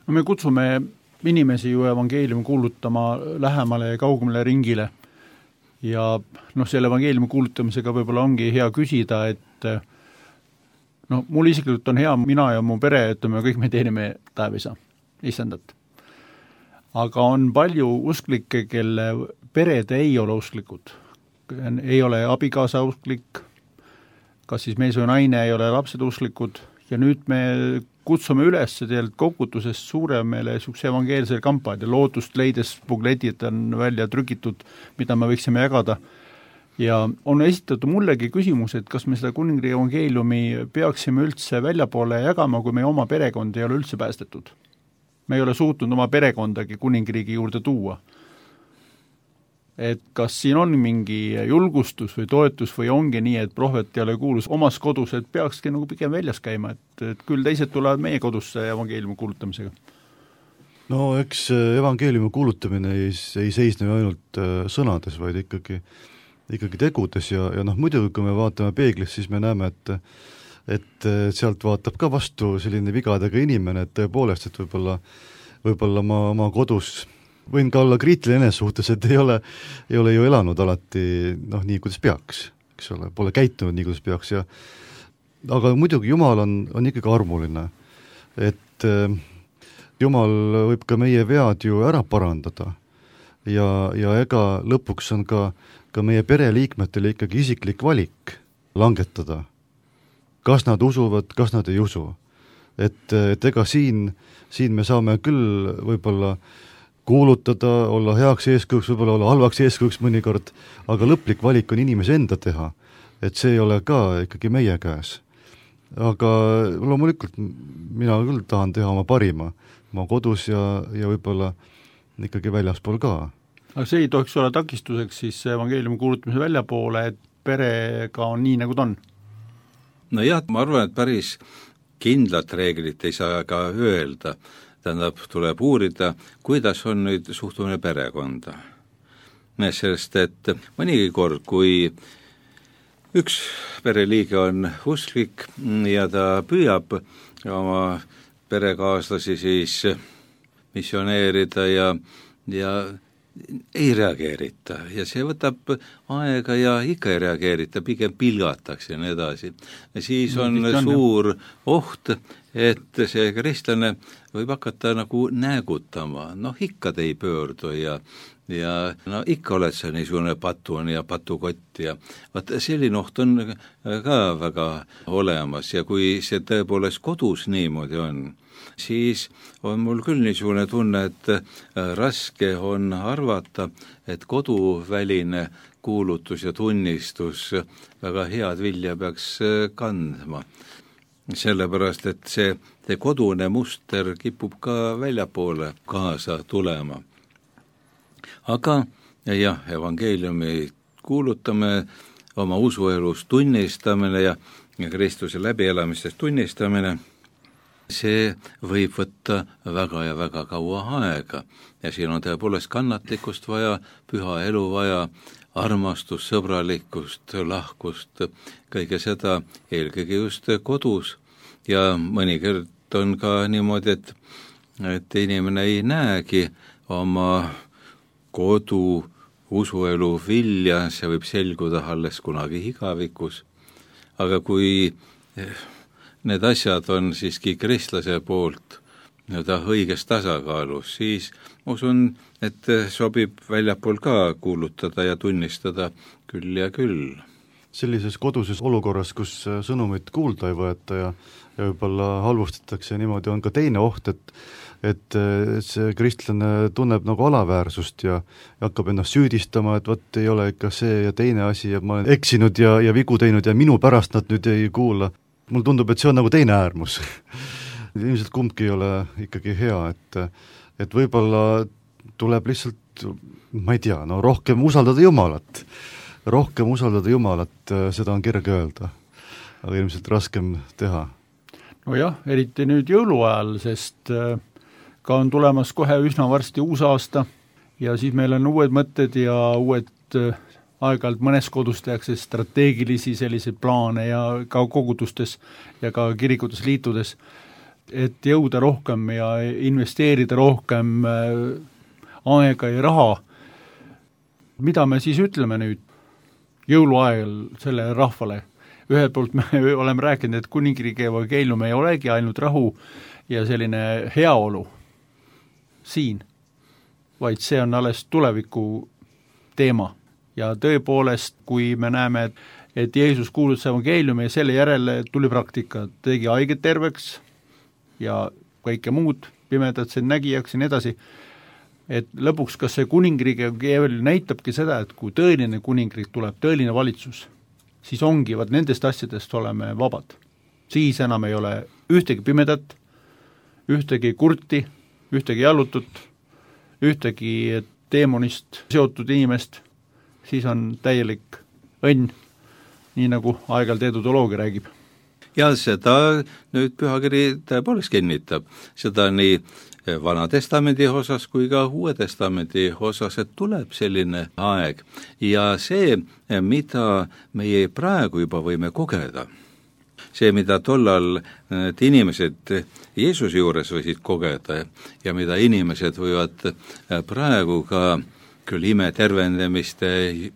[SPEAKER 2] No me kutsume inimesi ju evangeeliumi kuulutama lähemale ja kaugemale ringile. Ja noh, selle evangeeliumi kuulutamisega võib-olla ongi hea küsida, et no mul isiklikult on hea, mina ja mu pere, ütleme, kõik me teenime taevisa, istandat. Aga on palju usklikke, kelle pered ei ole usklikud. Ei ole abikaasa usklik, kas siis mees või naine ei ole lapsed usklikud ja nüüd me kutsume üles tegelikult kogutusest suuremale niisuguse evangeelsele kampaania, lootust leides bukletid on välja trükitud, mida me võiksime jagada. Ja on esitatud mullegi küsimus, et kas me seda kuningriigi evangeeliumi peaksime üldse väljapoole jagama, kui meie oma perekond ei ole üldse päästetud. Me ei ole suutnud oma perekondagi kuningriigi juurde tuua. Et kas siin on mingi julgustus või toetus või ongi nii, et prohvet ei ole kuulus omas kodus, et peakski nagu pigem väljas käima, et, et küll teised tulevad meie kodusse evangeeliumi kuulutamisega?
[SPEAKER 3] No eks evangeeliumi kuulutamine ei, ei seisne ainult sõnades, vaid ikkagi, ikkagi tegudes ja, ja noh, muidugi kui me vaatame peeglis, siis me näeme, et et sealt vaatab ka vastu selline vigadega inimene, et tõepoolest, et võib-olla, võib-olla ma oma kodus võin ka olla kriitiline enese suhtes, et ei ole, ei ole ju elanud alati noh, nii, kuidas peaks, eks ole, pole käitunud nii, kuidas peaks ja aga muidugi Jumal on, on ikkagi armuline, et äh, Jumal võib ka meie vead ju ära parandada ja, ja ega lõpuks on ka, ka meie pereliikmetele ikkagi isiklik valik langetada, kas nad usuvad, kas nad ei usu. Et, et ega siin, siin me saame küll võib-olla kuulutada, olla heaks eeskujuks, võib-olla olla halvaks eeskujuks mõnikord, aga lõplik valik on inimese enda teha, et see ei ole ka ikkagi meie käes. Aga loomulikult mina küll tahan teha oma parima, oma kodus ja, ja võib-olla ikkagi väljaspool ka.
[SPEAKER 2] Aga see ei tohiks olla takistuseks siis evangeeliumi kuulutamise väljapoole, et perega on nii, nagu ta on?
[SPEAKER 4] No jah, ma arvan, et päris kindlat reeglit ei saa ka öelda. Tähendab, tuleb uurida, kuidas on nüüd suhtumine perekonda. Sellest, et mõnigi kord, kui üks pereliige on usklik ja ta püüab oma perekaaslasi siis missioneerida ja, ja ei reageerita ja see võtab aega ja ikka ei reageerita, pigem pilgatakse ja nii edasi. Ja siis on no, suur oht, et see kristlane võib hakata nagu näägutama, noh ikka te ei pöördu ja, ja no ikka oled sa niisugune patun ja patukott ja vaat selline oht on ka väga olemas ja kui see tõepoolest kodus niimoodi on, siis on mul küll niisugune tunne, et raske on arvata, et koduväline kuulutus ja tunnistus väga head vilja peaks kandma. Sellepärast, et see, see kodune muster kipub ka väljapoole kaasa tulema. Aga jah, evangeeliumi kuulutame, oma usuelus tunnistamine ja, ja Kristuse läbielamistest tunnistamine, see võib võtta väga ja väga kaua aega ja siin on tõepoolest kannatlikkust vaja, püha elu vaja, armastust, sõbralikkust, lahkust, kõige seda eelkõige just kodus ja mõnikord on ka niimoodi, et, et inimene ei näegi oma kodu usuelu vilja, see võib selguda alles kunagi igavikus, aga kui need asjad on siiski kristlase poolt nii-öelda õiges tasakaalus, siis ma usun, et sobib väljapool ka kuulutada ja tunnistada küll ja küll.
[SPEAKER 3] Sellises koduses olukorras, kus sõnumit kuulda ei võeta ja, ja võib-olla halvustatakse, niimoodi on ka teine oht, et et see kristlane tunneb nagu alaväärsust ja, ja hakkab ennast süüdistama, et võt ei ole ikka see ja teine asi ja ma olen eksinud ja, ja vigu teinud ja minu pärast nad nüüd ei kuula. Mul tundub, et see on nagu teine äärmus. Ilmselt kumbki ei ole ikkagi hea, et, et võib-olla tuleb lihtsalt, ma ei tea, no rohkem usaldada Jumalat. Rohkem usaldada Jumalat, seda on kerge öelda, aga ilmselt raskem teha.
[SPEAKER 2] No jah, eriti nüüd jõuluajal, sest ka on tulemas kohe üsna varsti uus aasta ja siis meil on uued mõtted ja uued aeg-ajalt mõnes kodus tehakse strateegilisi selliseid plaane ja ka kogudustes ja ka kirikutes liitudes, et jõuda rohkem ja investeerida rohkem aega ja raha. Mida me siis ütleme nüüd jõuluajal selle rahvale? Ühelt poolt me oleme rääkinud, et kuningriigi evangeelium ei olegi ainult rahu ja selline heaolu siin, vaid see on alles tuleviku teema. Ja tõepoolest, kui me näeme, et Jeesus kuulutas evangeeliumi ja selle järele tuli praktika, tegi haiged terveks ja kõike muud, pimedad siin nägijaks ja nii edasi, et lõpuks kas see kuningriigi evangeelium näitabki seda, et kui tõeline kuningriik tuleb, tõeline valitsus, siis ongi, vaat nendest asjadest oleme vabad. Siis enam ei ole ühtegi pimedat, ühtegi kurti, ühtegi jallutut, ühtegi teemonist seotud inimest, siis on täielik õnn, nii nagu aeg-ajalt edutoloogia räägib.
[SPEAKER 4] Ja seda nüüd pühakiri tõepoolest kinnitab, seda nii Vana Testamendi osas kui ka Uue Testamendi osas, et tuleb selline aeg ja see, mida meie praegu juba võime kogeda, see, mida tollal need inimesed Jeesuse juures võisid kogeda ja mida inimesed võivad praegu ka küll ime tervendamiste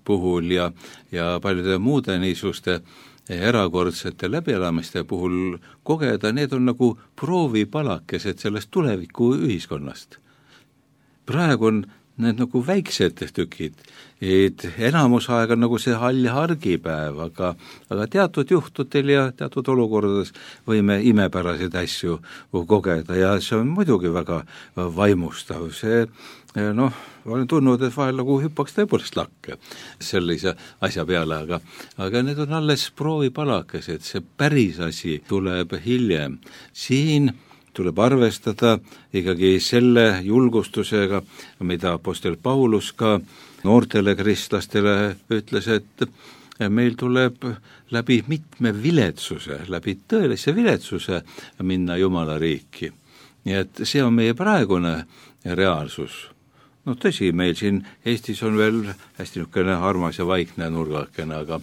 [SPEAKER 4] puhul ja, ja paljude muude niisuguste erakordsete läbielamiste puhul kogeda, need on nagu proovipalakesed sellest tuleviku ühiskonnast. Praegu on need nagu väiksed tükid, et enamus aeg on nagu see hall hargipäev, aga, aga teatud juhtudel ja teatud olukordades võime imepäraseid asju kogeda ja see on muidugi väga vaimustav, see noh, olen tundnud, et vahel nagu hüppaks tõepoolest lakke sellise asja peale, aga, aga need on alles proovipalakesed, see päris asi tuleb hiljem. Siin tuleb arvestada ikkagi selle julgustusega, mida apostel Paulus ka noortele kristlastele ütles, et meil tuleb läbi mitme viletsuse, läbi tõelise viletsuse minna Jumala riiki. Nii et see on meie praegune reaalsus. No tõsi, meil siin Eestis on veel hästi niisugune armas ja vaikne nurgakene, aga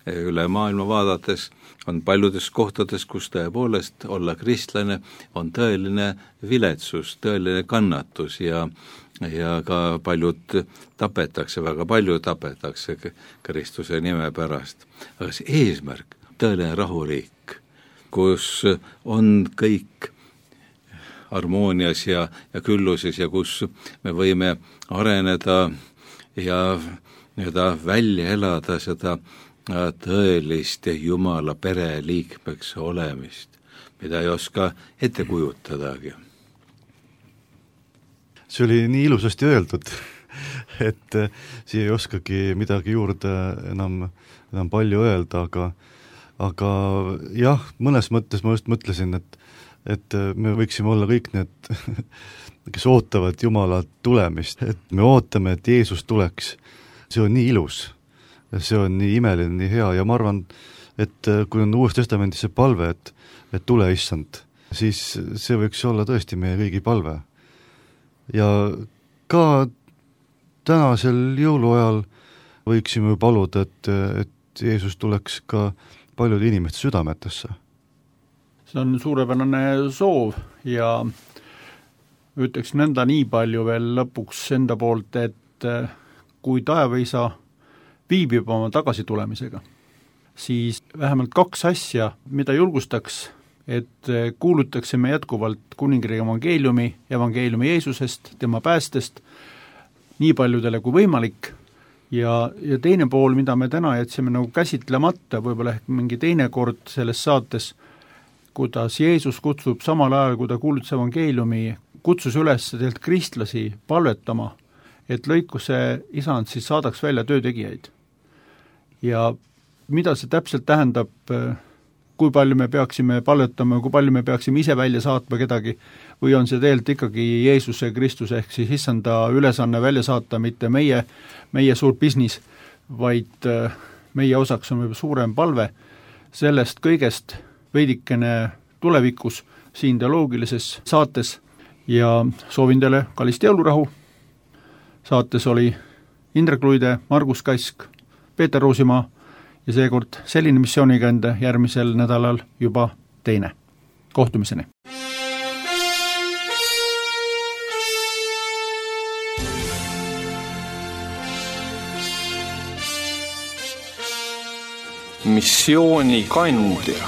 [SPEAKER 4] üle maailma vaadates on paljudes kohtades, kus tõepoolest olla kristlane, on tõeline viletsus, tõeline kannatus ja, ja ka paljud tapetakse, väga palju tapetakse Kristuse nime pärast. Aga see eesmärk, tõeline rahuriik, kus on kõik harmoonias ja, ja külluses ja kus me võime areneda ja nii-öelda välja elada seda tõelist Jumala pere liikmeks olemist, mida ei oska ette kujutadagi.
[SPEAKER 3] See oli nii ilusasti öeldud, et siia ei oskagi midagi juurde enam, enam palju öelda, aga, aga jah, mõnes mõttes ma just mõtlesin, et et me võiksime olla kõik need, kes ootavad Jumala tulemist, et me ootame, et Jeesus tuleks. See on nii ilus, see on nii imeline, nii hea ja ma arvan, et kui on Uues Testamendis see palve, et, et tule issand, siis see võiks olla tõesti meie kõigi palve. Ja ka tänasel jõuluajal võiksime paluda, et, et Jeesus tuleks ka paljude inimeste südametesse.
[SPEAKER 2] See on suurepärane soov ja ütleks nõnda nii palju veel lõpuks enda poolt, et kui taevaisa viibib oma tagasitulemisega, siis vähemalt kaks asja, mida julgustaks, et kuulutaksime jätkuvalt kuningriigi evangeeliumi, evangeeliumi Jeesusest, tema päästest, nii paljudele kui võimalik, ja, ja teine pool, mida me täna jätsime nagu käsitlemata, võib-olla ehk mingi teine kord selles saates, kuidas Jeesus kutsub samal ajal, kui ta kuulutas evangeeliumi, kutsus üles teilt kristlasi palvetama, et lõikuse isand siis saadaks välja töötegijaid. Ja mida see täpselt tähendab, kui palju me peaksime palvetama, kui palju me peaksime ise välja saatma kedagi, või on see tegelikult ikkagi Jeesuse Kristus ehk siis issanda ülesanne välja saata, mitte meie, meie suur business, vaid meie osaks on võib-olla suurem palve sellest kõigest veidikene tulevikus siin teoloogilises saates ja soovin teile kallist jõulurahu. Saates oli Indrek Luide, Margus Kask, Peeter Roosimaa ja seekord selline missiooniga enda järgmisel nädalal juba teine. Kohtumiseni!
[SPEAKER 5] Missiooni kandja.